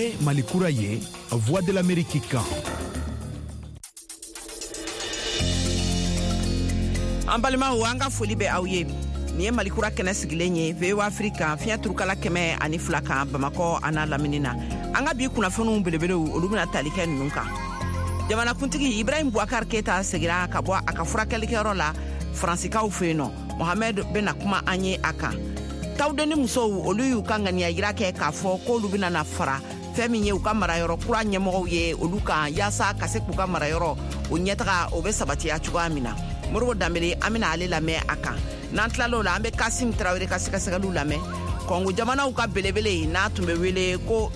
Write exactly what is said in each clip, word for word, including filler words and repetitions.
Nin ye Mali kura ye, Voix de l'Amérique kan. An balimaw, an ka foli bɛ aw ye. Nin ye Mali kura kɛnɛ sigilen ye V O A Afrique kan, fiɲɛ turukala kɛmɛ ani fila kan, Bamakɔ a n'a lamini na. An ka bi kunnafoniw belebelew, olu bɛna tali kɛ ninnu kan: jamanakuntigi Ibrahim Boubacar Keita segira ka bɔ a ka furakɛlikɛyɔrɔ la Faransikaw fɛ yen nɔ, Mohamɛd bɛna kuma an ye a kan. Tawudeni musow, olu y'u ka ŋaniya yira kɛ k'a fɔ k'olu bɛna na fara fɛn min ye u ka marayɔrɔ kura ɲɛmɔgɔw ye olu kan, yaasa ka se k'u ka marayɔrɔ o ɲɛtaga o bɛ sabatiya cogoya min na. Modibo Danbele, an bɛna ale lamɛn a kan. N'an tilal'o la, an bɛ Kasim Tarawele ka sɛgɛsɛgɛliw lamɛn. Kɔngo jamanaw ka belebele n'a tun bɛ wele ko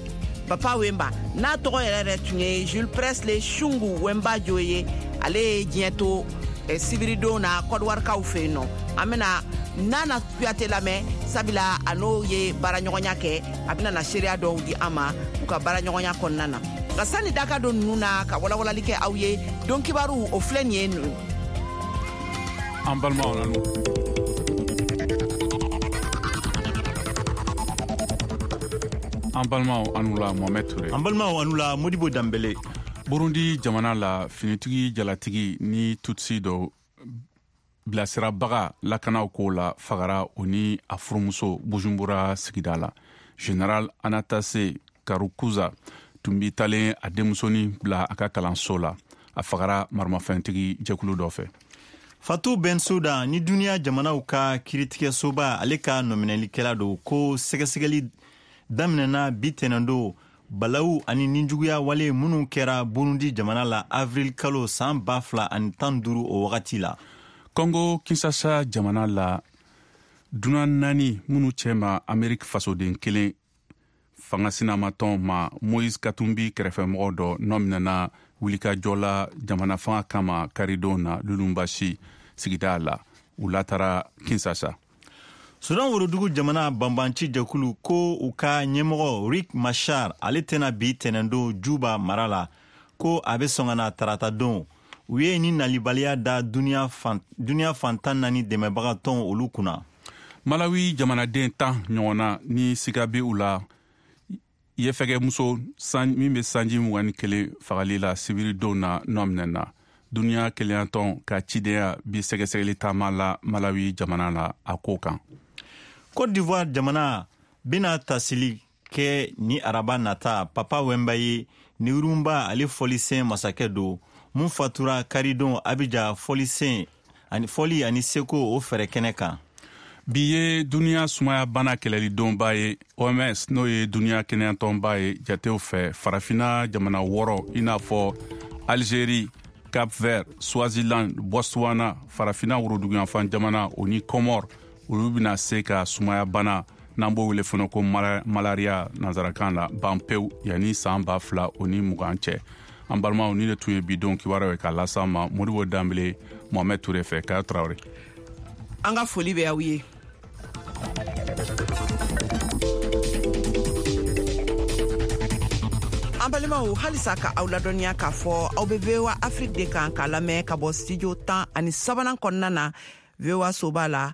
Papa Wemba, n'a tɔgɔ yɛrɛ yɛrɛ tun ye Jules Presley Shungu Wemba Jo ye, ale ye diɲɛ to eh, sibiridon na Kɔdiwarikaw fɛ yen nɔ. An bɛna Nana Kuyate lamɛn, sabula a n'o ye baaraɲɔgɔnya kɛ, a bɛna na seereya dɔw di an ma u ka baaraɲɔgɔnya kɔnɔna na. Nka sani daka don ninnu na ka walawalali kɛ aw ye, don kibaru o filɛ nin ye ninnu. An balimaw, nanu an balimaw, anu la Mohamɛd Ture. An balimaw, anu la Modibo Danbele. Burundi jamana la, finitigi jalatigi ni Tutsi dɔ bilasirabaga lakanaw ko la fagara o ni a furumuso Bujumbura sigida la. Général Anatase Karukuza tun bi talen a denmusonin bila a ka kalanso la, a fagara maramafɛntigi jɛkulu dɔ fɛ. Fatou Bensouda ni duniya jamanaw ka kiritigɛsoba ale ka nɔminɛlikɛla don ko sɛgɛsɛgɛli daminɛna bi tɛnɛndo balawu ani ninjuguya wale minnu kɛra Burundi jamana la avril kalo san ba fila ani tan duuru o wagati la. Kongo Kinsasa jamana la, dunan naani minnu cɛma Ameriki fasoden kelen, fanga sinamatɔn ma Moise Katumbi kɛrɛfɛmɔgɔ dɔ nɔ minɛna wulikajɔ la jamana fanga kama karidon na Lulunbasi sigida la, u latara Kinsasa. Sudan worodugu jamana banbanci jɛkulu ko u ka ɲɛmɔgɔ Riek Machar ale tɛna bi tɛnɛndon Juba mara la, ko a bɛ sɔn ka na tarata don. U ye ni nalibaliya da duniya fan, duniya fantan naani dɛmɛbaga tɔn olu kunna. Malawi jamanaden tan ɲɔgɔnna ni siga bɛ u la yefɛgɛmuso min bɛ sanji mugan ni kelen fagali la sibiridon na nɔ minɛna. Duniya kelenyatɔn ka cidenya bi sɛgɛsɛgɛli taama la Malawi jamana la a ko kan. Côte d'Ivoire jamana bɛna tasili kɛ ni araba nata Papa Wemba ye, ni rumba ale fɔlisen masakɛ don mun fatura karidon Abidjan fɔlisen ani fɔli ani seko o fɛrɛ kɛnɛ kan. Bi ye duniya sumaya bana kɛlɛlidonba ye. O M S, n'o ye duniya kɛnɛyatɔnba ye, jatew fɛ, farafina jamana wɔɔrɔ, i n'a fɔ Algérie, Cap Vert, Swaziland, Botswana, farafina woroduguyanfan jamana o ni Comore, olu bɛna se ka sumaya bana n'an b'o wele fana ko malaria nansarakan la ban pewu yanni san ba fila o ni mugan cɛ. An balimaw, ni de tun ye bi don kibaruyaw ye k'a las'an ma Modibo Danbele, Mohamɛd Ture fɛ. Kaya Tarawele. An ka foli bɛ aw ye. An balimaw, halisa ka aw ladɔnniya k'a fɔ aw be V O A Afrique de kan k'a lamɛn ka bɔ studio tan ani sabanan kɔnɔna na, V O A soba la,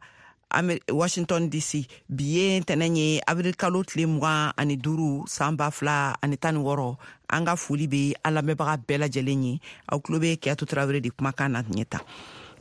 Washington D C. Bi ye ntɛnɛn ye, avril kalo tile mugan ani duuru, san ba fila ani tan ni wɔɔrɔ. An ka foli be an lamɛnbaga bɛɛ lajɛlen ye. Aw tulo be Keyatu Tarawele de kumakan na ɲɛ ta.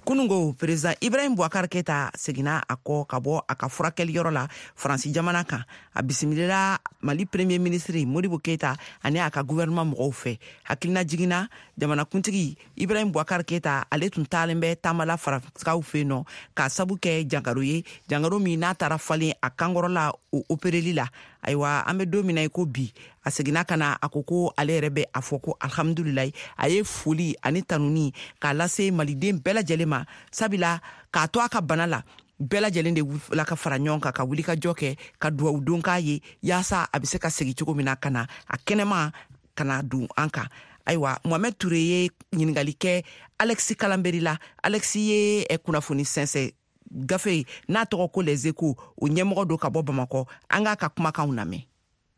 Kunungo, président Ibrahim Boubacar Keita seginna a kɔ ka bɔ a ka furakɛliyɔrɔ la Faransi jamana kan. A bisimilila Mali premier ministre Modibo Keita ani a ka gouvernement mɔgɔw fɛ. Hakilina jiginna, jamanakuntigi Ibrahim Boubacar Keita ale tun taalen bɛ taamala Faransikaw fɛ yen nɔ k'a sabu kɛ jangaro ye, jangaro min n'a taara falen a kankɔrɔla o opereli la. Ayiwa, an bɛ don min na i ko bi, a seginna ka na, a ko ko ale yɛrɛ bɛ a fɔ ko alhamdulilayi. A ye foli ani tanuni k'a lase maliden bɛɛ lajɛlen ma, sabula k'a to a ka bana la, bɛɛ lajɛlen de la ka fara ɲɔgɔn kan ka wuli ka jɔ kɛ ka duwawu don k'a ye, yaasa a bɛ se ka segin cogo min na ka na a kɛnɛma ka na don an kan. Ayiwa, Mohamɛd Ture ye ɲininkali kɛ Alexis Kalanberi la. Alexis ye kunnafoni sɛnsɛn gafe n'a tɔgɔ ko Les Échos o ɲɛmɔgɔ don ka bɔ Bamakɔ. An k'a ka kumakanw lamɛn.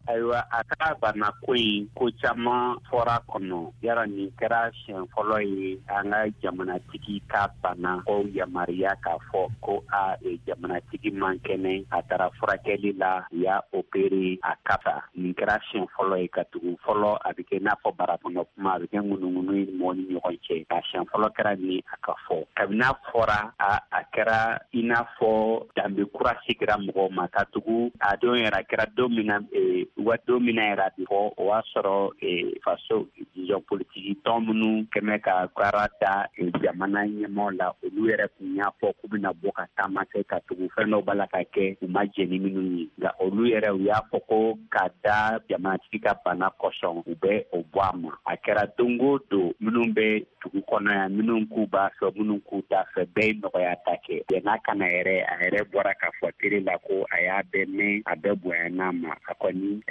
Ayiwa, a ka bana ko in, ko caman fɔra kɔnɔ. Yara nin kɛra siɲɛ fɔlɔ ye an ka jamanatigi ka bana ko yamaruya k'a fɔ ko a jamanatigi man kɛnɛ, a taara furakɛli la, u y'a opéré, a ka fisa. Nin kɛra siɲɛ fɔlɔ ye, ka tugu fɔlɔ a bɛ kɛ i n'a fɔ barakɔnɔ kuma, a bɛ kɛ ŋunuŋunu ye mɔgɔ ni ɲɔgɔn cɛ. Nka siɲɛ fɔlɔ kɛra nin a ka fɔ. Kabini a fɔra, a a kɛra i n'a fɔ danbe kura sigira mɔgɔw ma, ka tugu a don yɛrɛ a kɛra don min na, wa don min na yɛrɛ a bɛ fɔ, o y'a sɔrɔ faso, disons, politiki tɔn minnu kɛmɛ ka baara da jamana ɲɛmaaw la, olu yɛrɛ tun y'a fɔ k'u bɛna bɔ ka taama kɛ, ka tugu fɛn dɔw b'a la ka kɛ u ma jɛn ni minnu ye. Nka olu yɛrɛ u y'a fɔ ko ka da jamanatigi ka bana kosɔn, u bɛ o bɔ a ma. A kɛra don o don, minnu bɛ dugu kɔnɔ yan, minnu k'u b'a fɛ, minnu k'u t'a fɛ, bɛɛ ye nɔgɔya ta kɛ. Yann'a ka na yɛrɛ, a yɛrɛ bɔra k'a fɔ télé la ko a y'a bɛɛ mɛn, a bɛɛ bonyana ma. A kɔni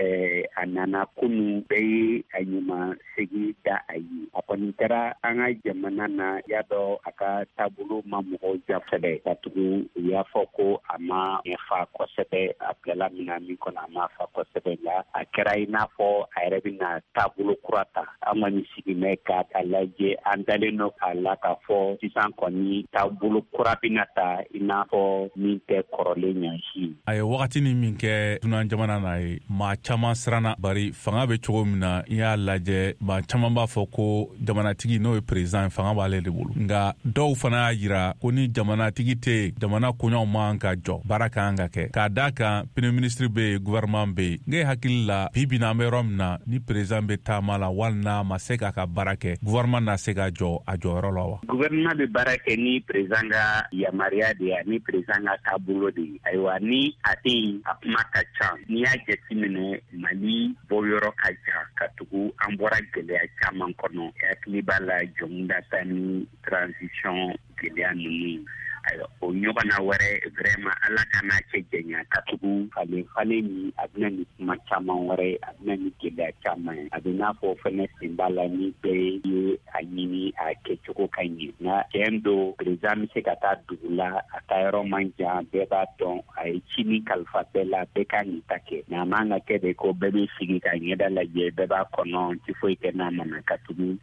a nana kunun, bɛɛ ye a ɲuman segin da a ye. A kɔni kɛra an ka jamana na, y'a dɔn a ka taabolo ma mɔgɔw ja kosɛbɛ, ka tugu u y'a fɔ ko a ma ɲɛfa kosɛbɛ, a bilala minɛn min kɔnɔ a ma fa kosɛbɛ. La a kɛra i n'a fɔ a yɛrɛ bɛna taabolo kura ta. An kɔni sigilen k'a lajɛ, an dalen don a la k'a fɔ sisan kɔni taabolo kura bɛna ta, i n'a fɔ min tɛ kɔrɔlen ɲansi. A ye wagatinin min kɛ dunan jamana na ye, maa caman siranna, bari fanga bɛ cogo min na, i y'a lajɛ, maa caman b'a fɔ ko jamanatigi, n'o ye président, fanga b'ale de bolo. Nka dɔw fana y'a jira ko ni jamanatigi tɛ yen, jamana koɲaw man ka jɔ, baara ka kan ka kɛ, k'a d'a kan premier ministre bɛ yen, gouvernement bɛ yen. Ne hakili la, bi bi in na, an bɛ yɔrɔ min na, ni président bɛ taama la, wali n'a ma se k'a ka baara kɛ, gouvernement na se ka jɔ a jɔyɔrɔ la wa? Gouvernement bɛ baara kɛ ni président ka yamaruya de ye, ni président ka taabolo de ye. Ayiwa, ni a tɛ yen, a kuma ka ca. N'i y'a jateminɛ, Mali bɔyɔrɔ ka jan, ka tugu an bɔra gɛlɛya caman kɔnɔ. Hakili b'a la Jɔnkunda ta ni transition gɛlɛya ninnu. Ayiwa, o ɲɔgɔnna wɛrɛ, vraiment, Ala ka n'a cɛ janya, ka tugu falen falen min a bɛna ni kuma caman wɛrɛ, a bɛna ni gɛlɛya caman ye. A bɛ n'a fɔ fɛnɛ sen b'a la ni bɛɛ ye a ɲini a kɛcogo ka ɲɛ. Nka tiɲɛ don, président bɛ se ka taa dugu la, a taa yɔrɔ man jan, bɛɛ b'a dɔn a ye ci min kalifa bɛɛ la, bɛɛ ka nin ta kɛ. Nka a man ka kɛ de ko bɛɛ bɛ sigi ka ɲɛda lajɛ, bɛɛ b'a kɔnɔ, ti foyi kɛ n'a ma na, ka tugu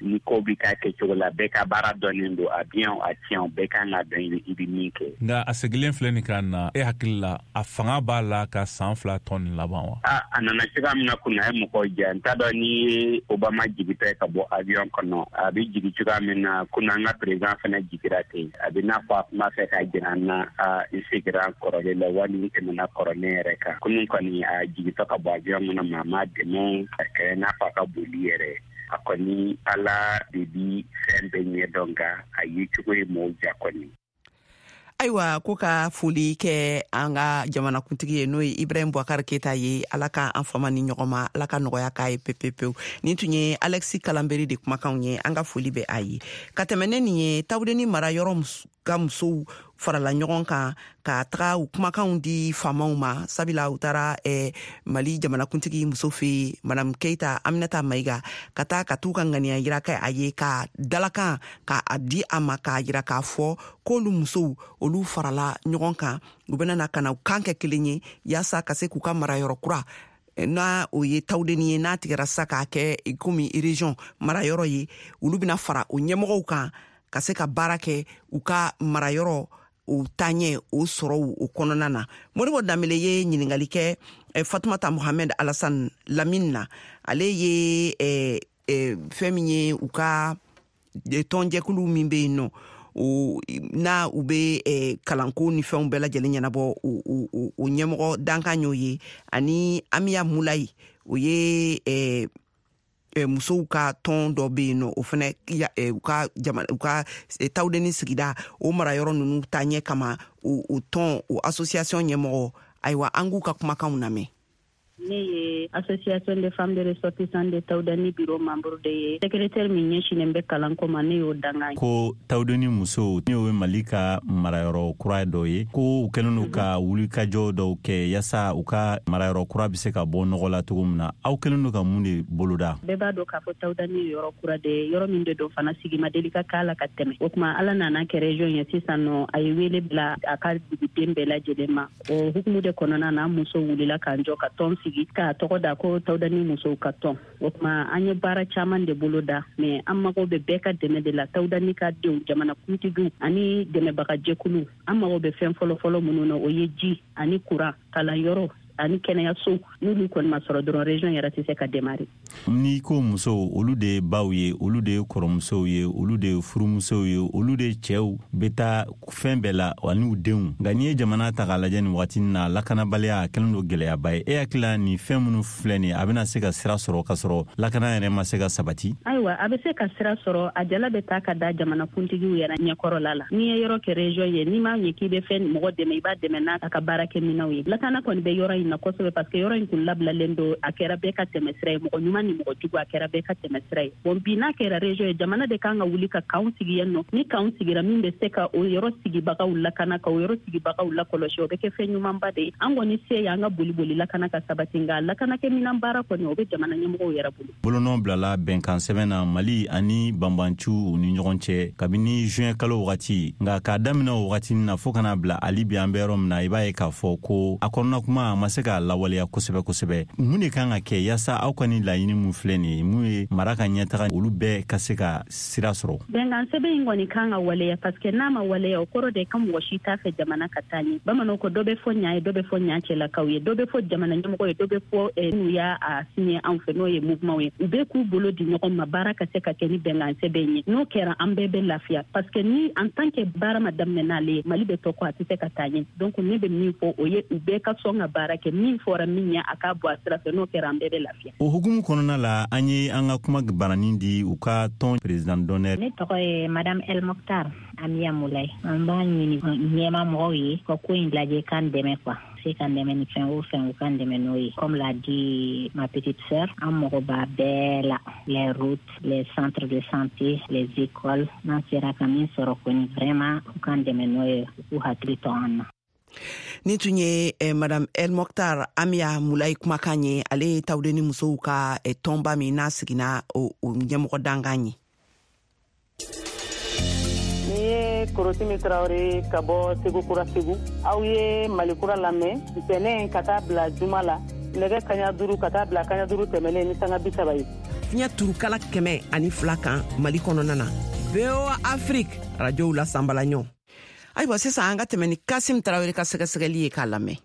ni ko bɛ k'a kɛcogo la, bɛɛ ka baara dɔnnen don, a bien a tiɲɛ, bɛɛ kan ka dɔn i bɛ min kɛ. Nka a segilen filɛ nin ka na, e hakili la, a fanga b'a la ka san fila tɔ nin laban wa? A a nana cogoya min na kunun, a ye mɔgɔw jɛ. N t'a dɔn n'i ye Obama jigitɔ ye ka bɔ avion kɔnɔ, a bɛ jigin cogoya min na kunun, an ka président fana jigira ten. A bɛ n'a fɔ a kuma fɛ k'a jira an na, a n seginna kɔrɔlen la, wali n tɛmɛna kɔrɔlen yɛrɛ kan. Kunun kɔni, a jigitɔ ka bɔ avion kɔnɔ, maa m'a dɛmɛ, a kɛra i n'a fɔ a ka boli yɛrɛ. A kɔni, Ala de bi fɛn bɛɛ ɲɛ dɔn, nka a ye cogo ye mɔgɔw ja kɔni. Ayiwa, ko ka foli kɛ an ka jamanakuntigi ye, n'o ye Ibrahim Boubacar Keita ye. Ala ka an fama ni ɲɔgɔn ma, Ala ka nɔgɔya k'a ye pepepewu. Nin tun ye Alexis Kalanberi de kumakanw ye. An ka foli bɛ a ye. Ka tɛmɛ ne nin ye, Tawudeni mara yɔrɔ ka musow farala ɲɔgɔn kan ka taga u kumakanw di faamaw ma, sabula u taara eh, Mali jamanakuntigi muso fɛ yen, Madame Keita Aminata Mayiga, ka taa ka t'u ka ŋaniya yira kɛ a ye, ka dalakan ka a di a ma, k'a yira k'a fɔ k'olu musow, olu farala ɲɔgɔn kan, u bɛna na ka na u kan kɛ kelen ye, yaasa ka se k'u ka marayɔrɔ kura, n'a o ye Tawudeni ye, n'a tigɛra sisan k'a kɛ komi région marayɔrɔ ye, olu bɛna fara o ɲɛmɔgɔw kan ka se ka baara kɛ u ka marayɔrɔ o taaɲɛ o sɔrɔw o kɔnɔna na. Modibo Danbele ye ɲininkali kɛ Fatumata Mohamed Alassane Lamine na. Ale ye eh, eh, fɛn min ye, u ka tɔnjɛkulu min bɛ yen nɔ, o n'a u bɛ eh, kalanko ni fɛnw bɛɛ lajɛlen ɲɛnabɔ, o, o, ɲɛmɔgɔ dankan y'o ye, ani Amiya Mulayi, o ye eh, musow ka tɔn dɔ bɛ yen nɔ, o fana u ka jamana, u ka Tawudeni sigida o marayɔrɔ ninnu taaɲɛ kama, o, o tɔn, o association ɲɛmɔgɔ. Ayiwa, an k'u ka kumakanw lamɛn. Ne ye Association des femmes de ressortissants de Taoudeni bureau membre de ye. Secrétaire min ɲɛsinnen bɛ kalanko ma, ne y'o danga. Ko Tawudeni musow, n'o ye Mali ka marayɔrɔ kura dɔ ye, ko u kɛlen don ka wulikajɔ dɔw kɛ yaasa u ka marayɔrɔ kura bɛ se ka bɔ nɔgɔ la cogo min na. Aw kɛlen don ka mun de boloda? Bɛɛ b'a dɔn k'a fɔ Taoudeni ye yɔrɔ kura de ye, yɔrɔ min de don fana sigi ma deli ka k'a la ka tɛmɛ. O tuma, Ala nana kɛ région ye sisan nɔ, a ye wele bila a ka duguden bɛɛ lajɛlen ma. O hukumu de kɔnɔna na, an musow wulila k'an jɔ ka tɔn sigi. sigi k'a tɔgɔ da ko Tawudani musow ka tɔn. O tuma an ye baara caman de bolo da, mais an mago bɛ bɛɛ ka dɛmɛ de la, Tawudani ka denw, jamana kuntigiw ani dɛmɛbagajɛkulu. An mago bɛ fɛn fɔlɔfɔlɔ minnu na, o ye ji ani kuran, kalanyɔrɔ ani kɛnɛyaso. N'olu kɔni ma sɔrɔ dɔrɔn, région yɛrɛ tɛ se ka démarrer. N'i ko musow, olu de ye baw ye, olu de ye kɔrɔmusow ye, olu de ye furumusow ye, olu de cɛw bɛ taa fɛn bɛɛ la ani u denw. Nka n'i ye jamana ta k'a lajɛ nin waati na, lakanabaliya a kɛlen don gɛlɛyaba ye. E hakili la nin fɛn minnu filɛ nin ye, a bɛna se ka sira sɔrɔ k'a sɔrɔ lakana yɛrɛ ma se ka sabati? Ayiwa, a bɛ se ka sira sɔrɔ. A jala bɛ taa ka da jamanakuntigiw yɛrɛ ɲɛkɔrɔla la. N'i ye yɔrɔ kɛ région ye, n'i m'a ɲɛ k'i bɛ fɛn mɔgɔ dɛmɛ, i b'a dɛmɛ n'a ka baarakɛminɛnw ye. Lakana kɔni bɛ yɔrɔ in na kosɛbɛ, parce que yɔrɔ in kun labilalen don, a kɛra bɛɛ ka tɛmɛ sira ye, mɔgɔ ɲuman ni mɔgɔ jugu, a kɛra bɛɛ ka tɛmɛ sira ye. Bon, bi n'a kɛra région ye, jamana de kan ka wuli ka kanw sigi yen nɔ. Ni kanw sigira, min bɛ se ka o yɔrɔ sigibagaw lakana, ka o yɔrɔ sigibagaw lakɔlɔsi, o bɛ kɛ fɛn ɲumanba de ye. An kɔni se y'an ka boli boli lakana ka sabati, nka lakanakɛminan baara kɔni, o bɛ jamana ɲɛmɔgɔw yɛrɛ bolo. Bolonɔ bilala bɛnkan sɛbɛn na Mali ani banbanciw ni ɲɔgɔn cɛ kabini juin kalo wagati. Nka k'a daminɛ o wagati na fo kana bila hali bi an bɛ yɔrɔ min na, i b'a ye k'a fɔ ko a kɔnɔna kuma a ma se k'a lawaleya kosɛbɛ kosɛbɛ. Mun de kan ka kɛ yaasa aw ka nin laɲini mun filɛ nin ye, mun ye mara ka ɲɛtaga, olu bɛɛ ka se ka sira sɔrɔ? Bɛnkan sɛbɛn in kɔni kan ka waleya, parce que n'a ma waleya, o kɔrɔ de ka mɔgɔ si t'a fɛ jamana ka taa ɲɛ. Bamananw ko dɔ bɛ fɔ ɲa ye, dɔ bɛ fɔ ɲa cɛlakaw ye, dɔ bɛ fɔ jamana ɲɛmɔgɔ ye, dɔ bɛ fɔ n'u y'a signé anw fɛ, n'o ye mouvement ye. U bɛɛ k'u bolo di ɲɔgɔn ma, baara ka se ka kɛ ni bɛnkan sɛbɛn ye. N'o kɛra, an bɛɛ bɛ lafiya, parce que ni en tant que baara ma daminɛ n'ale ye, Mali bɛ tɔ kɔ, a tɛ se ka taa ɲɛ. Donc ne bɛ min fɔ, o ye u bɛɛ ka sɔn ka baara kɛ, min fɔra min ɲɛ, a k'a bɔ a sira fɛ. N'o kɛra, an bɛɛ bɛ lafiya. O hukumu kɔnɔna la, an ye an ka kuma baranin di u ka tɔn président d'honneur. Ne tɔgɔ ye Madame El Mokhtar Amiya Moulay. An b'a ɲini ɲɛma mɔgɔw ye ka ko in lajɛ, k'an dɛmɛ quoi, se k'an dɛmɛ ni fɛn o fɛn, u k'an dɛmɛ n'o ye. Comme l'a dit ma petite sœur, an mago b'a bɛɛ la, les routes, les centres de santé, les écoles. N'an sera ka min sɔrɔ kɔni, vraiment, u k'an dɛmɛ n'o ye, u k'u hakili to an na. Ni tun ye eh, Madame El Mokhtar Amiya Moulay kumakan ye. Ale ye Tawudeni musow ka eh, tɔnba min n'a sigina, o, o ɲɛmɔgɔ dankan ye. Ni ye Korotimi Tarawele ka bɔ Segu Kura Segu. Aw ye Mali Kura lamɛn ntɛnɛn ka taa bila juma la, nɛgɛ kaɲa duuru ka taa bila kaɲa duuru tɛmɛnen ni sanga bi saba ye. Fiɲɛ turukala kɛmɛ ani fila kan Mali kɔnɔna na, V O A Afrique radiow la sanbala ɲɔ. Ayiwa, sisan an ka tɛmɛ ni Kasim Tarawele ka sɛgɛsɛgɛli ye k'a lamɛn.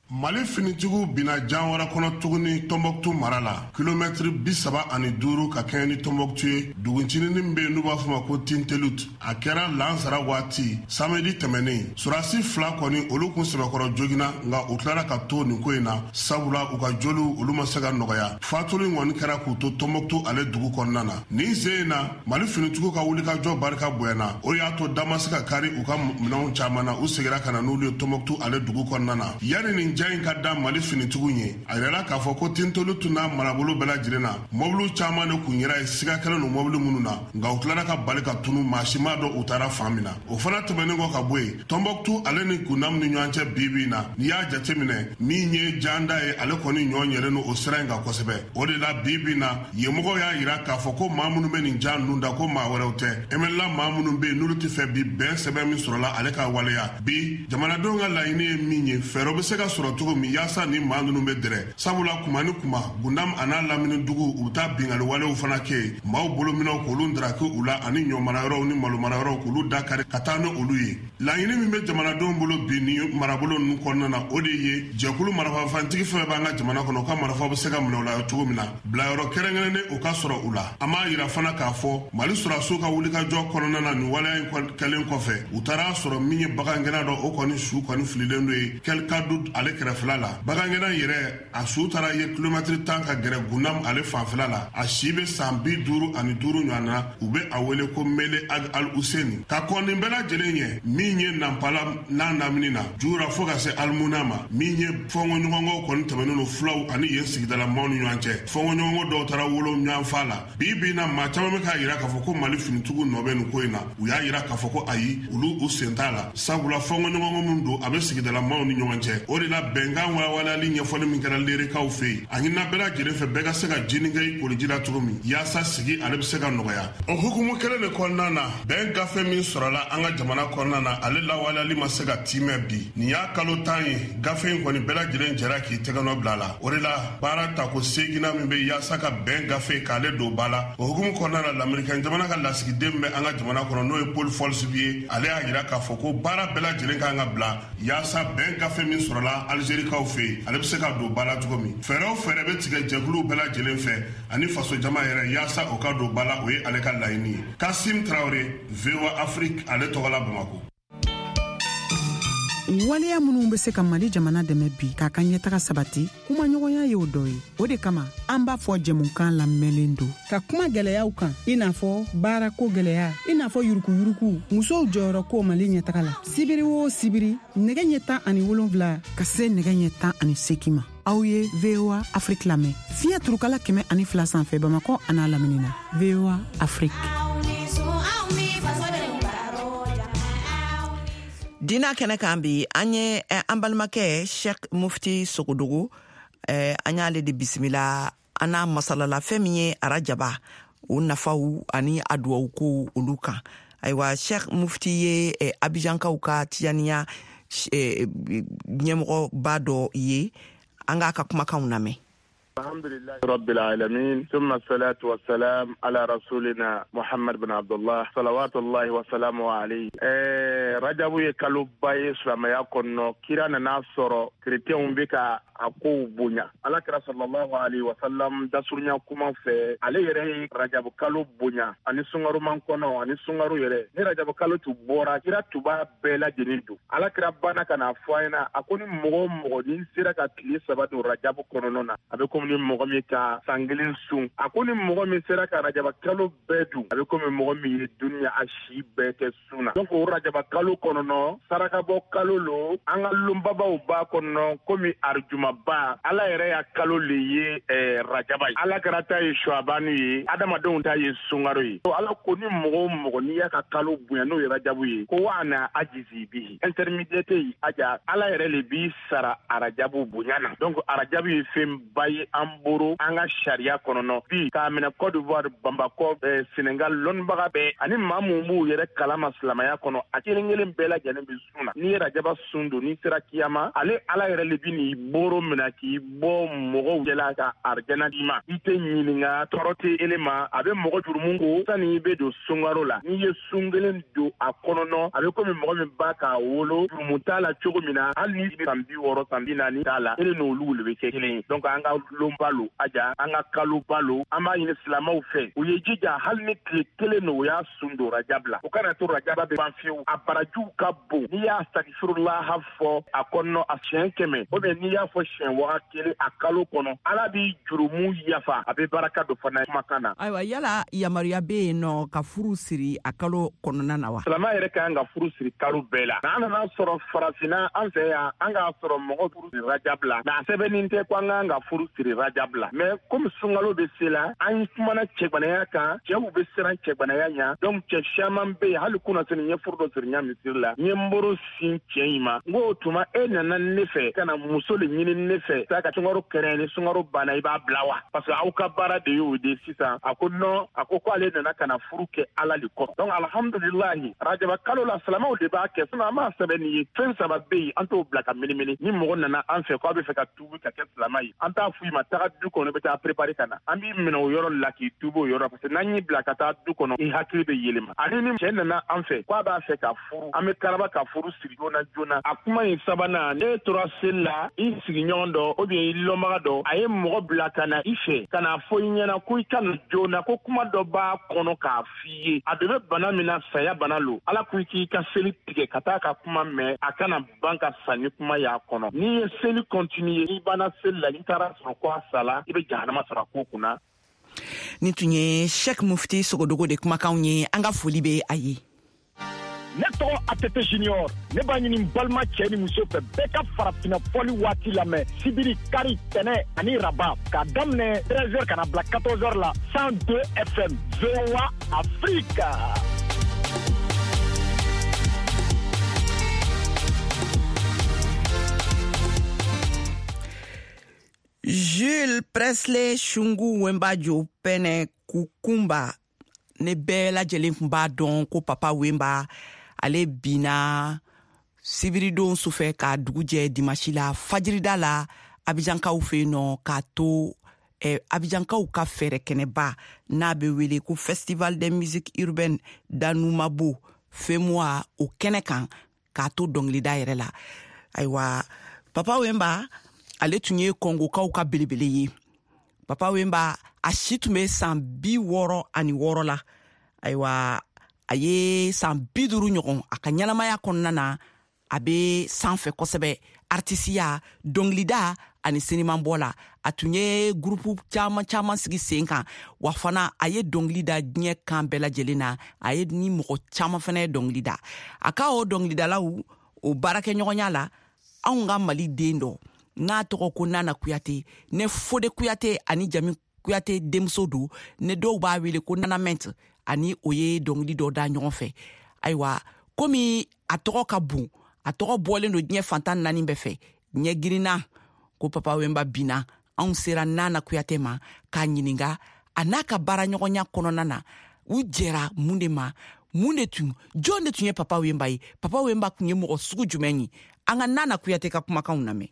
Mali finitigiw binna jan wɛrɛ kɔnɔ tuguni Tɔnbɔkutu mara la, kilomɛtiri bi saba ani duuru ka kɛɲɛ ni Tɔnbɔkutu ye, duguncinin min bɛ yen n'u b'a fɔ ma ko Tintelut. A kɛra lansara waati samedi tɛmɛnen. Surasi fila kɔni, olu kun sɛbɛkɔrɔ joginna, nka u tilara ka to nin ko in na, sabula u ka joliw olu ma se ka nɔgɔya. Fatuli kɔni kɛra k'u to Tɔnbɔkutu ale dugu kɔnɔna na. Nin sen in na, Mali finitigiw ka wulikajɔ barika bonyana, o y'a to da ma se ka kari u ka minɛnw caman na. U seginna ka na n'olu ye Tɔnbɔkutu ale dugu kɔnɔna na. Yanni nin ja in ka da Mali finitigiw ye, a yirala k'a fɔ ko Tintolu tun n'a marabolo bɛɛ lajɛlen na, mɔbiliw caman de kun yɛrɛ ye, siga kɛlen don mɔbili minnu na, nka u tilara ka bali ka tunu, maa si m'a dɔn u taara fan min na. O fana tɛmɛnen kɔ ka bɔ yen, Tɔnbɔkutu ale ni Gundam ni ɲɔgɔn cɛ, bi bi in na, n'i y'a jateminɛ, min ye janda ye, ale kɔni ɲɔ ɲɛlen don o sira in kan kosɛbɛ. O de la, bi bi in na, yenmɔgɔw y'a yira k'a fɔ ko maa minnu bɛ nin ja ninnu da, ko maa wɛrɛw tɛ, M N L A maa minnu bɛ yen n'olu tɛ fɛ bi bɛn sɛbɛn min sɔrɔla ale ka waleya. Bi jamanadenw ka laɲini ye min ye, fɛɛrɛ bɛ se ka sɔrɔ cogo min yaasa ni maa ninnu bɛ dɛrɛ, sabula kuma ni kuma, Gundam a n'a lamini dugu, u bɛ taa bingali walew fana kɛ yen, maaw bolominɛw k'olu daraki u la, ani ɲɔ marayɔrɔw ni malo marayɔrɔw k'olu da kari ka taa ni olu ye. Laɲini min bɛ jamanadenw bolo bi ni marabolo ninnu kɔnɔna na, o de ye jɛkulu marafafantigi fɛn b'an ka jamana kɔnɔ, u ka marifa bɛ se ka minɛ u la cogo min na, bilayɔrɔ kɛrɛnkɛrɛnnen o ka sɔrɔ u la. An b'a yira fana k'a fɔ Mali sɔrɔdasiw ka wulikajɔ kɔnɔna na, nin waleya in kɛlen kɔfɛ, u taara sɔrɔ min ye bagangɛnna dɔ, o kɔni su kɔni fililen don ye Kɛlikadu ale kɛrɛfɛla la. Bagangɛnna yɛrɛ, a su taara ye kilomɛtiri tan ka gɛrɛ Gundam ale fanfɛla la. A si bɛ san bi duuru ani duuru ɲɔgɔn na, u bɛ a wele ko Mele Ag Al Huseni. Ka kɔn nin bɛɛ lajɛlen ɲɛ, min ye Nanpala n'a lamini na jura fo ka se Alimuna ma, min ye fɔnkɔɲɔgɔnkɔw kɔni tɛmɛnen don fulaw ani yen sigidala maaw ni ɲɔgɔn cɛ, fɔnkɔɲɔgɔnkɔ dɔw taara wolo ɲɔgɔn fa la. Bi bi in na, maa caman bɛ k'a yira k'a fɔ ko Mali finitigiw nɔ bɛ nin ko in na. U y'a yira k'a fɔ ko ayi, olu u sen t'a la, sabula fɔnkɔɲɔgɔnkɔ min don, a bɛ sigidala maaw ni ɲɔgɔn cɛ. O de la bɛnkan walawalali ɲɛfɔli min kɛra lerekaw fɛ yen, a ɲinina bɛɛ lajɛlen fɛ bɛɛ ka se ka jini kɛ i koliji la cogo min yaasa sigi ale bɛ se ka nɔgɔya. O hukumu kelen de kɔnɔna na, bɛn gafe min sɔrɔla an ka jamana kɔnɔna na, ale lawaleyali ma se ka timɛ bi. Nin y'a kalo tan ye, gafe in kɔni bɛɛ lajɛlen jɛra k'i tɛgɛnɔ bila a la. O de la baara tako seeginna min bɛ yaasa ka bɛn gafe k'ale don ba la, o hukumu kɔnɔna na, lamerikan jamana ka lasigiden bɛ an ka jamana kɔnɔ, n'o ye Paul Folsby ye, ale y'a jira k'a fɔ ko baara bɛɛ lajɛlen kan ka bila yaasa bɛn gafe min sɔrɔla Algerikaw fɛ yen, ale bɛ se ka don ba la cogo min. Fɛɛrɛ o fɛɛrɛ bɛ tigɛ jɛkuluw bɛɛ lajɛlen fɛ ani fasojama yɛrɛ yaasa o ka don ba la, o ye ale ka laɲini ye. Kasim Traoré, V O A Afrique, ale tɔgɔ la Bamakɔ. Waleya minnu bɛ se ka Mali jamana dɛmɛ bi k'a ka ɲɛtaga sabati, kumaɲɔgɔnya y'o dɔ ye. O de kama an b'a fɔ jɛmukan lamɛnlen don ka kuma gɛlɛyaw kan, i n'a fɔ baarako gɛlɛya, i n'a fɔ yurukuyuruku, musow jɔyɔrɔ ko Mali ɲɛtaga la. Sibiri o sibiri, nɛgɛ ɲɛ tan ani wolonfila ka se nɛgɛ ɲɛ tan ani seegin ma, aw ye V O A Afrique lamɛn fiɲɛ turukala kɛmɛ ani fila sanfɛ Bamakɔ an'a lamini na. V O A Afrique. Dina kɛnɛ kan bi, an ye an balimakɛ Sheikh Mufti Sogodogo, an y'ale de bisimila. An n'a masalala fɛn min ye arajaba o nafaw ani a duwawu ko olu kan. Ayiwa, Sheikh Mufti ye Abijankaw ka tijaniya ɲɛmɔgɔba dɔ ye. An k'a ka kumakanw lamɛn. Alhamdulillah Rabbil Alamin, thumma salatu wa salam ala rasulina Muhammad bin Abdullah salawatullahi wa salamu alayhi. Eh, Rajabu ye kaloba ye silamɛya kɔnɔ. Kira nana sɔrɔ kerecɛnw bɛ ka a kow bonya. Ala kira sallallahu alayhi wa sallam dasurunya kuma fɛ, ale yɛrɛ ye Rajabu kalo bonya ani sungaruman kɔnɔ ani sungaru yɛrɛ. Ni Rajabu kalo tun bɔra, kira tun b'a bɛɛ lajɛlen don. Ala kira banna ka n'a fɔ a ɲɛna, a ko ni mɔgɔ o mɔgɔ n'i sera ka tile saba don Rajabu kɔnɔna na, a bɛ komi ni mɔgɔ min ka san kelen sun. A ko ni mɔgɔ min sera ka Rajaba kalo bɛɛ dun, a bɛ komi mɔgɔ min ye dunuya a si bɛɛ kɛ sun na. Donc o Rajaba kalo kɔnɔnɔ, sarakabɔ kalo lo, an ka lonbabaw b'a kɔnɔ komi arjumaba. Ala yɛrɛ y'a kalo le ye eh, Rajaba ye. Ala kɛra ta ye Suabanu ye, adamadenw ta ye sunkaro ye. Ala ko ni mɔgɔ o mɔgɔ n'i y'a ka kalo bonya, n'o ye Rajabu ye, ko wa ana ajizi bihi, intermédiaire tɛ yen aja, Ala yɛrɛ le b'i sara Arajabu bonya na. Donc Arajabu ye fɛnba ye an boro an ka sariya kɔnɔnɔ bi, k'a minɛ Côte d'Ivoire, Bamakɔ, eh, Sénégal, lɔnnibaga bɛɛ ani maa mun b'u yɛrɛ kalama silamɛya kɔnɔ, a kelen kelen bɛɛ lajɛlen bɛ sun na. N'i ye Rajaba sun don, n'i sera kiyama, ale Ala yɛrɛ le bi n'i boro minɛ k'i bɔ mɔgɔw cɛla ka arijana d'i ma. I tɛ ɲininka, tɔɔrɔ tɛ ele ma. A bɛ mɔgɔ jurumun ko sani i bɛ don sunkaro la. N'i ye sun kelen don a kɔnɔnɔ, a bɛ komi mɔgɔ min ba k'a wolo jurumun t'a la cogo min na, hali ni san bi wɔɔrɔ san bi naani t'a la, ele n'olu le bɛ kɛ kelen ye. Donc an ka lonba lo aja, an ka kaloba lo, an b'a ɲini silamɛw fɛ u ye jija, hali ni tile kelen no, u y'a sun don Rajab la, o kana to Rajaba bɛ ban fiyewu. A barajiw ka bon. N'i y'a sagifurulaha fɔ a kɔnɔ a siɲɛ kɛmɛ, ou bien n'i y'a fɔ siɲɛ waga kelen a kalo kɔnɔ, Ala b'i jurumu yafa, a bɛ baraka don fana kumakan na. Ayiwa, yala yamaruya bɛ yen nɔ ka furu siri a kalo kɔnɔna na wa? Silamɛ yɛrɛ ka kan ka furu siri kalo bɛɛ la. N'an nana sɔrɔ farafinna an fɛ yan, an k'a sɔrɔ mɔgɔ furu siri Rajab la, nka a sɛbɛnnin tɛ ko an kan ka furu siri Rajab la. Mais komi sunkalo bɛ se la, an kumana cɛgbanaya kan, cɛw bɛ siran cɛgbanaya ɲɛ. Donc cɛ caman bɛ yen, hali kunnasini n ye furu dɔ siri n ɲa misiri la, n ye n boro sin cɛ in ma, n ko o tuma e nana ne fɛ ka na muso le ɲini ne fɛ, taa ka sunkaro kɛrɛn, ni sunkaro banna i b'a bila wa? Parce que aw ka baara de y'o de sisan. A ko non, a ko k'ale nana ka na furu kɛ Ala le kɔrɔ. Donc alhamdulilahi, Rajaba kalo la silamɛw de b'a kɛ, sinon an b'a sɛbɛn nin ye. Fɛn saba bɛ yen, an t'o bila ka minimini. Ni mɔgɔ nana an fɛ k'a bɛ fɛ ka tuubi ka kɛ silamɛ ye, an t'a f'i ma taga du kɔnɔ, i bɛ taa préparer ka na. An b'i minɛ o yɔrɔ la k'i tuubi o yɔrɔ, parce que n'an y'i bila ka taa du kɔnɔ, i hakili bɛ yɛlɛma. Ani ni cɛ nana an fɛ k'a b'a fɛ ka furu, an bɛ karaba ka furu siri joona joona. A kuma in sabanan, ne tora seli la, i sigiɲɔgɔn dɔ ou bien i lɔnbaga dɔ, a ye mɔgɔ bila ka na i fɛ ka n'a fɔ i ɲɛna ko i ka na joona, ko kuma dɔ b'a kɔnɔ k'a f'i ye. A dɔ bɛ bana min na, saya bana lo. Ala ko i k'i ka seli tigɛ ka taa ka kuma mɛn, a kana ban ka sa ni kuma y'a kɔnɔ. N'i ye seli continuer, n'i banna seli la, n'i taara sɔrɔ ko a sala, i bɛ jahanama sɔrɔ a ko kunna. Nin tun ye Sheikh Mufti Sogodogo de kumakanw ye. An ka foli bɛ a ye. Ne tɔgɔ A T T Junior, ne b'a ɲini n balima cɛ ni muso fɛ bɛɛ ka farafinna fɔli waati lamɛn sibiri, kari, tɛnɛ ani raba, k'a daminɛ treize heures ka na bila quatorze heures la, cent deux F M, V O A Afrique. Jules Presley Shungu Wembajo Pene Kukumba, ne bɛɛ lajɛlen kun b'a dɔn ko Papa Wemba ale binna sibiridon sufɛ ka dugu jɛ dimasi la fajirida la Abijankaw fɛ yen nɔ, k'a to eh, Abijankaw ka fɛɛrɛ kɛnɛba n'a bɛ wele ko Festival des musiques urbaines d'Anoumabo FEMUA, o kɛnɛ kan k'a to dɔnkilida yɛrɛ la. Ayiwa, Papa Wemba ale tun ye Kɔngokaw ka belebele ye. Papa Wemba a si tun bɛ san bi wɔɔrɔ ani wɔɔrɔ la. Ayiwa, a ye san bi duuru ɲɔgɔn a ka ɲɛnamaya kɔnɔna na, a bɛ sanfɛ kosɛbɛ artisiya, dɔnkilida ani sinimanbɔ la. A tun ye gurupu caman caman sigi sen kan, wa fana a ye dɔnkili da diɲɛ kan bɛɛ lajɛlen na. A ye ni mɔgɔ caman fana ye dɔnkili da. A ka o dɔnkilidalaw o baarakɛɲɔgɔnya la, anw ka Mali den dɔ n'a tɔgɔ ko Nana Kuyate, ne Fode Kuyate ani Jami Kuyate denmuso don, ne dɔw b'a wele ko Nana Ment, ani o ye dɔnkili dɔ da ɲɔgɔn fɛ. Ayiwa, komi a tɔgɔ ka bon, a tɔgɔ bɔlen don diɲɛ fantan naani bɛɛ fɛ, ɲɛ girinna ko Papa Wemba binna, anw sera Nana Kuyate ma k'a ɲininka a n'a ka baaraɲɔgɔnya kɔnɔna na, u jɛra mun de ma, mun de tun, jɔn de tun ye Papa Wemba ye, Papa Wemba tun ye mɔgɔ sugu jumɛn ye. An ka Nana Kuyate ka kumakanw lamɛn.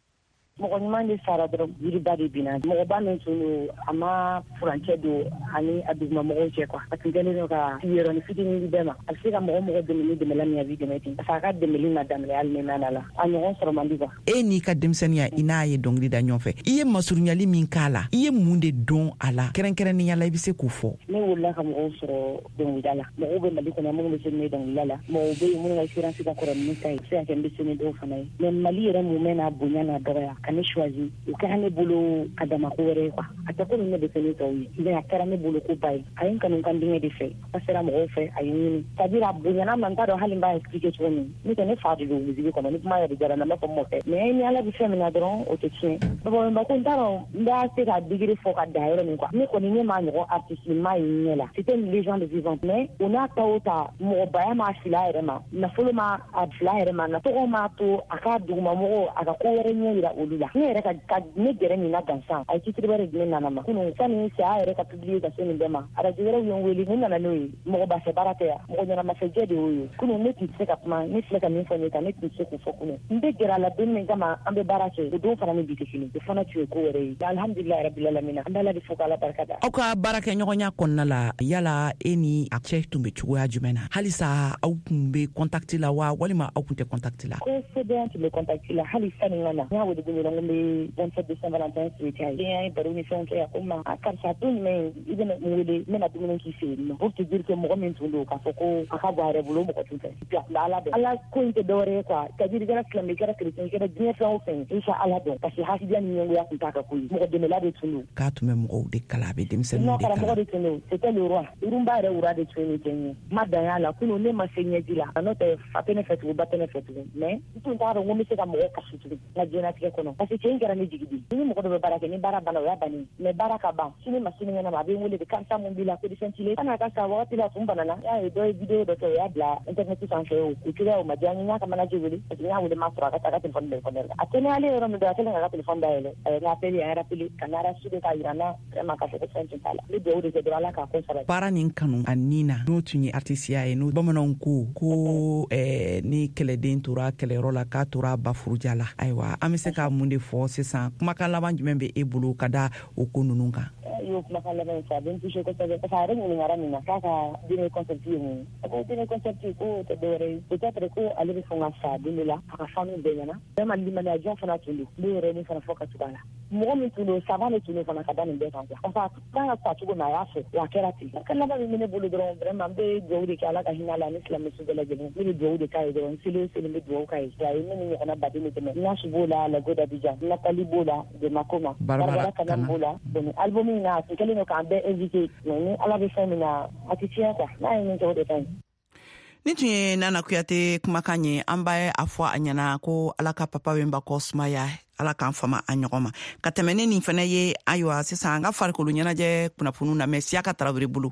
Mɔgɔ ɲuman de sara dɔrɔn, yiriba de binna. Mɔgɔba min tun don, a ma furancɛ don ani a dugumamɔgɔw cɛ quoi. A tun kɛlen don ka yɔrɔnin fitinin di bɛɛ ma. A bɛ se ka mɔgɔ mɔgɔ dɛmɛ ni dɛmɛla min ye, a b'i dɛmɛ ten. Parce que a ka dɛmɛli ma daminɛ hali ni nana la. A ɲɔgɔn sɔrɔ man di quoi. E n'i ka denmisɛnninya, i n'a ye dɔnkili da ɲɔgɔn fɛ, i ye masurunyali min k'a la, i ye mun de dɔn a la kɛrɛnkɛrɛnnenya la, i bɛ se k'o fɔ? Ne wolola ka mɔgɔw sɔrɔ dɔnkilida la. Mɔgɔw bɛ Mali kɔnɔ minnu bɛ se ne dɔnkilida la. Mɔgɔw bɛ yen minnu ka expérience ka kɔrɔ ni ne ta ye. A bɛ se ka kɛ n bɛ se ni dɔw fana ye. Mais Mali yɛrɛ mumɛ n'a bonya n'a dɔgɔya, ka ne choisi, o kɛra ne bolo a dama ko wɛrɛ ye quoi. A tɛ komi ne bɛ se ne tɔw ye, mais a kɛra ne bolo ko ba ye. A ye n kanu kan denkɛ de fɛ, a sera mɔgɔw fɛ, a ye n ɲini. C'est à dire a bonyana ma, n t'a dɔn hali n b'a expliquer cogo min. Ne tɛ ne fa de don musique kɔnɔ, ni kuma yɛrɛ diyara n na, n b'a fɔ n mɔkɛ. Mais ni Ala bɛ fɛn min na dɔrɔn, o tɛ tiɲɛ. Papa Wemba ko n t'a dɔn n b'a se ka degré fɔ ka dan yɔrɔ min quoi. Ne kɔni ne m'a ɲɔgɔn artiste ma ye n ɲɛ la. C'était une légende vivante. Mais o n'a ta o ta, mɔgɔbaya m'a fili a yɛrɛ ma, nafolo ma a fili a yɛrɛ ma, tɔgɔ m'a to a ka dugumamɔgɔw a ka ko wɛrɛ ɲɛ yira olu la. Ne yɛrɛ ka ka ne gɛrɛ nin na gansan, a ye titre wɛrɛ di ne nana ma kunun sani saya yɛrɛ ka publier ka se nin bɛɛ ma. Arajo wɛrɛw ye n wele, ne nana n'o ye. Mɔgɔ bafɛ baara tɛ yan, mɔgɔ ɲɛnamafɛjɛ de y'o ye. Kunun ne tun tɛ se ka kuma, ne filɛ ka min fɔ ne kan, ne tun tɛ se k'o fɔ kunun. N bɛ gɛrɛ a la don min kama an bɛ baara kɛ, o don fana ni bi tɛ kelen, o fana tun ye ko wɛrɛ ye. Alhamdulilayi rabbil alamin, an bɛ Ala de fo k'Ala barika da. Aw ka baarakɛɲɔgɔnya kɔnɔna la, yala e ni a cɛ tun bɛ cogoya jumɛn na? Halisa aw tun bɛ contact la wa, walima aw tun tɛ contact la? Kosɛbɛ, an tun bɛ contact la hali sani n ka na. N y'a wele don dɔ la, n ko n bɛ bonne fête de Saint-Valentin souhaiter a ye. Den an ye baro ni fɛnw kɛ, a ko n ma, a karisa don jumɛn i bɛna n wele, n bɛna dumuni k'i fɛ yen nɔ. Pour te dire que mɔgɔ min tun don k'a fɔ ko a ka bɔ a yɛrɛ bolo, mɔgɔ tun tɛ. A tun bɛ Ala dɔn. Ala ko in tɛ dɔwɛrɛ ye quoi. C'est à dire i kɛra silamɛ, i kɛra chrétien, i kɛra diɲɛ fɛn o fɛn ye, i ka Ala dɔn. Parce que hasidiya ni ɲɛngoya tun t'a ka ko ye. Mɔgɔ dɛmɛla de tun don. K'a tun bɛ mɔgɔw de kalan, a bɛ denmisɛnninw de kalan. Karamɔgɔ de tun don. C'était le roi. Rumba yɛrɛ wura de tun ye nin cɛ in ye. N ma dan y'a la kunun, ne ma se ɲɛji la. N'o tɛ fa tɛ ne fɛ tugun, ba tɛ ne fɛ tugun. Mais n tun t'a dɔn ko n bɛ se ka mɔgɔw kasi tugun n ka diɲɛlatigɛ kɔnɔ. Parce que cɛ in kɛra ne jigi de ye. Ni mɔgɔ dɔ bɛ baara kɛ, ni baara banna, o y'a bannen. Mais baara ka ban, sini ma sinikɛnɛ ma, a bɛ n wele de, karisa mun b'i la, ko fɛn t'i la. San'a ka sa wagati la, a tun banana. N y'a ye dɔ ye vidéo dɔ kɛ, o y'a bila internet sanfɛ, o cogoya o ma diya n ye. N y'a ka manager wele, parce que n y'a wele m'a sɔrɔ, a ka a ka téléphone bɛ répondeur la. A kɛnɛyalen yɔrɔ min don, a kɛlen k'a ka téléphone dayɛlɛ, a ye n appelé, a ye rappelé ka n rassurer k'a yira n na vraiment k'a fɔ ko fɛn tun t'a la. N bɛ dugawu de kɛ dɔrɔn, Ala k'a ko sabati. Baara nin kanu a nin na, n'o tun ye artisiya ye, n'o bamananw ko ko eh, ni kɛlɛden tora kɛlɛyɔrɔ la, k'a tora ba furuja la. Ayiwa, an bɛ se ka mun de fɔ sisan? Kumakan laban jumɛn bɛ e bolo ka da o ko ninnu kan? I y'o kumakan laban in fɔ, a bɛ n touché kosɛbɛ. Parce que a yɛrɛ ɲininkara nin na k'a ka dernier concept ye mun ye. A ko dernier concept ko tɛ dɔwɛrɛ ye, peut-être ko ale bɛ sɔn ka sa don dɔ la, a ka fanu bɛɛ ɲɛna. Vraiment limaniya jɔn fana tun don. N b'o yɔrɔnin fana fɔ ka tugu a la. Mɔgɔ min tun don, savant de tun don fana ka da nin bɛɛ kan quoi. Parce que a kan ka sa cogo min, a y'a fɔ, wa a kɛra ten. Kumakan laban min bɛ ne bolo dɔrɔn, vraiment n bɛ dugawu de kɛ Ala ka hinɛ a la ani silamɛsu bɛɛ lajɛlen. Ne bɛ dugawu de k'a ye dɔrɔn, n seli o seli n bɛ dugawu k'a ye. A ye ne ni ɲɔgɔnna baden de dɛmɛ. Nasu b'o la, Lago d'Abidjan, Nathalie b'o la, de Makoma, Barbara Kanam b'o la. Bon, album in na, a tun kɛlen don k'an bɛɛ invité. Mais ni Ala bɛ fɛn min na, a tɛ tiɲɛ quoi. N'a ye min kɛ, o de ka ɲi. Ni tun ye Nana Kuyate kumakan ye, an b'a a fɔ a ɲɛna ko Ala ka Papa Wemba kɔ sumaya, Ala k'an fama a ɲɔgɔn ma. Ka tɛmɛ ne nin fɛnɛ ye, ayiwa sisan an ka farikolo ɲɛnajɛ kunnafoniw lamɛn Siyaka Tarawele bolo.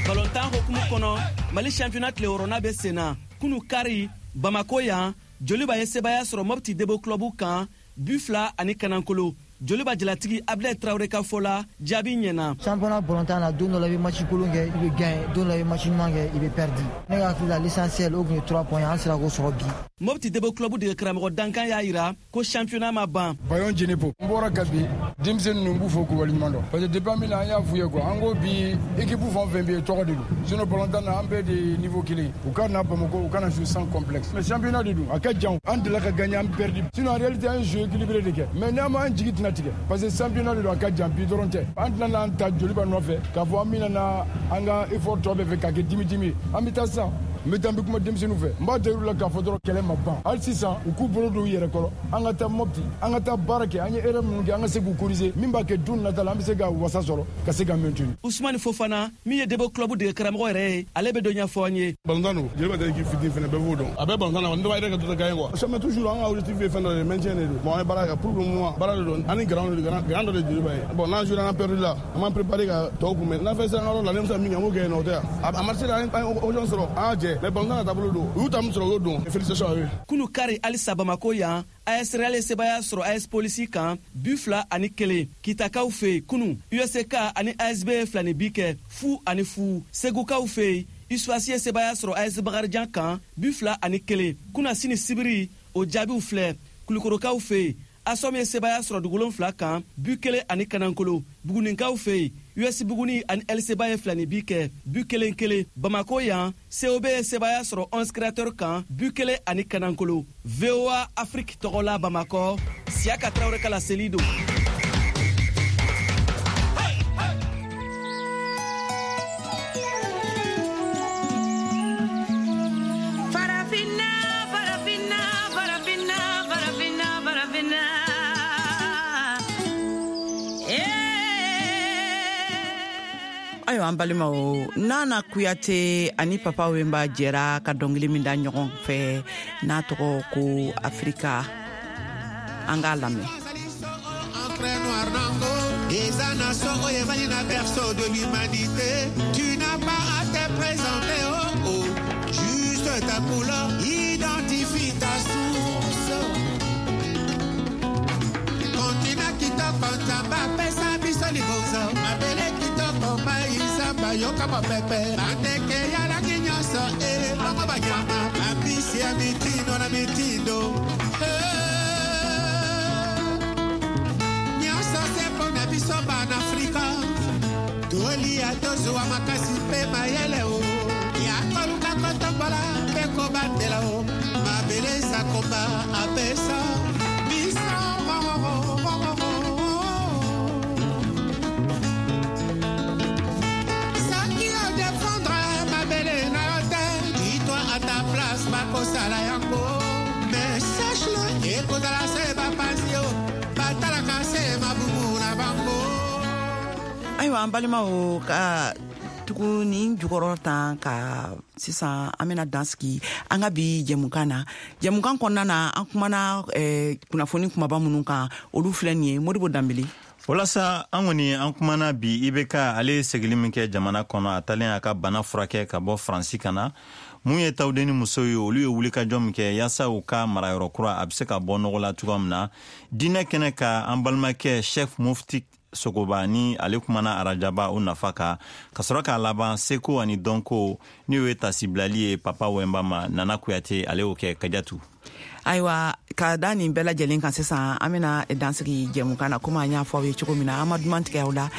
Balontan hokumu kɔnɔ, Mali championnat tile wɔɔrɔnan bɛ sen na. Kunu kari Bamako yan, Joliba ye sebaaya sɔrɔ Mopti Debo Club kan bi fila ani kanankolo. Joliba jalatigi Abdel Traoré ka fɔ la, jaabi ɲɛna. Championnat balontan na, don dɔ la i bɛ match kolon kɛ, i bɛ gagner, don dɔ la i bɛ match ɲuman kɛ, i bɛ perdu. Ne ka hakili la, l'essentiel o tun ye trois points, an sera k'o sɔrɔ bi. Mopti Debo Club dege karamɔgɔ Dankan y'a yira ko championnat ma ban. Bayon Djenepo, n bɔra ka bi denmisɛnnin ninnu, n b'u fo k'u waleɲuman dɔn, parce que depuis an bɛ na, an y'a f'u ye quoi, an ko bi équipe fɛn o fɛn bɛ yen, tɔgɔ de don, sinon balontan na an bɛɛ de ye niveau kelen. U ka na Bamakɔ, u kana jouer sans complexe, mais championnat de don, a ka jan, an delila ka gagner, an perdu, sinon en réalité an ye jeu équilibré de kɛ, mais n'an m'an jigi tɛna tigɛ, parce que championnat de don, a ka jan, bi dɔrɔn tɛ. An tɛna n'an ta Joliba nɔfɛ k'a fɔ an bɛna na an ka effort tɔ bɛɛ fɛ k'a kɛ dimi dimi ye. An bɛ taa sisan, n bɛ taa, n bɛ kuma denmisɛnninw fɛ, n b'a da la k'a fɔ dɔrɔn kɛlɛ ma ban hali sisan, u k'u bolo don u yɛrɛ kɔrɔ, an ka taa Mopti, an ka taa baara kɛ, an ye erreur minnu kɛ, an ka se k'u corriger, min b'a kɛ don nata la an bɛ se ka wasa sɔrɔ ka se ka maintenir. Ousmane Fofana min ye Debo Club dege karamɔgɔ yɛrɛ ye, ale bɛ dɔ ɲɛfɔ an ye. Balontan don, Joliba tɛ équipe fitinin fɛnɛ, bɛɛ b'o dɔn, a bɛɛ balontan na, n dɔw yɛrɛ ka dɔ gagner quoi. Ça mais toujours an ka objectif ye fɛn dɔ de ye, maintien de don. Bon, an ye baara kɛ pour le moment, baara de don, an ni grand de grand dɔ de Joliba ye. Bon, n'an joué, an perdu la, an m'an préparé ka tɔw kunbɛn, n'an fɛn sera an ka yɔrɔ la, ne bɛ se ka min kɛ, an b'o kɛ yen nɔ, o tɛ yan. A marché la, an ye occasion sɔrɔ, an y'a jɛ, mais balontan na taabolo don, u y'u ta min sɔrɔ, u y'o dɔn. Félicitations à eux. Kunu kari halisa Bamako yan, A S Real ye sebaaya sɔrɔ A S Polisi kan bi fila ani kelen. Kitakaw fɛ yen kunu, U S K ani A S B ye fila ni bi kɛ fu ani fu. Segukaw fɛ yen, USFAS ye sebaaya sɔrɔ A S Bakarijan kan bi fila ani kelen. Kuna sini sibiri, o jaabiw filɛ: Kulukorokaw fɛ yen, Asom ye sebaaya sɔrɔ dugulon fila kan bi kelen ani kanankolo. Buguninkaw fɛ yen, U S Buguni ani L C ba ye fila ni bi kɛ bi kelen kelen. Bamako yan, C O B ye sebaaya sɔrɔ onze Créateur kan bi kelen ani kanankolo. V O A Afrique tɔgɔ la Bamakɔ, Siyaka Tarawele ka laseli don. Farafina, farafina, farafina, farafina, farafina. Eh. Ayiwa an balimaw, Nana Kuyate ani Papa Wemba jɛra ka dɔnkili min da ɲɔgɔn fɛ n'a tɔgɔ ko Afrika, an k'a lamɛn. Encre noire nango eza na so oyo evandi na berceau de l'humanité. Tu n'as pas à te présenter, oh oh, juste ta couleur identifie ta source. Kontina kitoko, Nzambe apesa biso libonzo, mabele kitoko, mai, zamba, yoka mopepe, bandeke ya langi nyonso, e bongo banyama, bambisi ya mitindo na mitindo. Eh. Nyonso se mpo na biso bana Afrika, tolia, tozwa makasi mpe mayele o ya koluka kotombola mpe kobatela o mabele Nzambe apesa biso. Soki odéfendre mabele na yo te, dis-toi à ta place bakosala yango, mais sache-le, ekozala se bapanzi yo batalaka se mabumu na bango. Ayiwa an balimaw, ka tugu nin jukɔrɔ tan ka sisan, an bena dan sigi an ka bi jɛmukan na. Jɛmukan kɔnɔna na, an kumana eh, kunnafoni kumaba minnu kan, olu filɛ nin ye. Modibo Danbele. Walasa an kɔni an kumana bi I B K, ale ye segili min kɛ jamana kɔnɔ a talen a ka bana furakɛ ka bɔ Faransi ka na. Mun ye tawuden ni muso ye, olu ye wulikajɔ min kɛ yaasa u ka marayɔrɔ kura a be se ka bɔ nɔgɔ la cogoya min na. Diinɛ kɛnɛ ka, an balimakɛ Chef Mufti Sogoba ni ale kumana arajaba o nafa kan, ka sɔrɔ k'a laban seko ani dɔnko n'o ye tasibilali ye Papa Wemba ma, Nana Kuyate ale y'o kɛ Kajatu. Ayiwa, ka da nin bɛɛ lajɛlen kan sisan, an bena dansigi jɛmukan na komi an y'a fɔ aw ye cogo min na, an ma duman tigɛ aw la.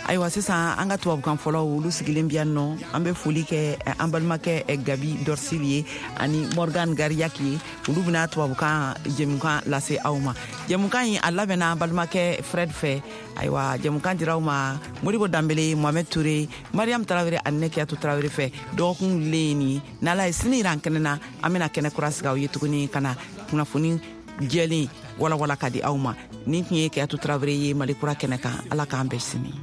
Ayiwa sisan, an ka tubabukan fɔlɔw, olu sigilen bi yan nɔ. An be foli kɛ eh, an balimakɛ eh, Gabi Dorsili ye ani Morgan Gariyaki ye, olu bena tubabukan jɛmukan lase aw ma. Jɛmukan yi a labɛnna an balimakɛ Fred fɛ. Ayiwa, jɛmukan dira aw ma Modibo Danbele, Mohamed Ture, Mariam Tarawele ani ne Kiyatu Tarawele fɛ. Dɔgɔkun wulilen ye nin ye, n'Ala ye sini yira an kɛnɛ na, an bena kɛnɛ kura sigi aw ye tuguni ka na kunnafoni jɛlen walawala ka di aw ma. Nin tun ye Kiyatu Tarawele ye Mali Kura kɛnɛ kan. Ala k'an bɛɛ sini.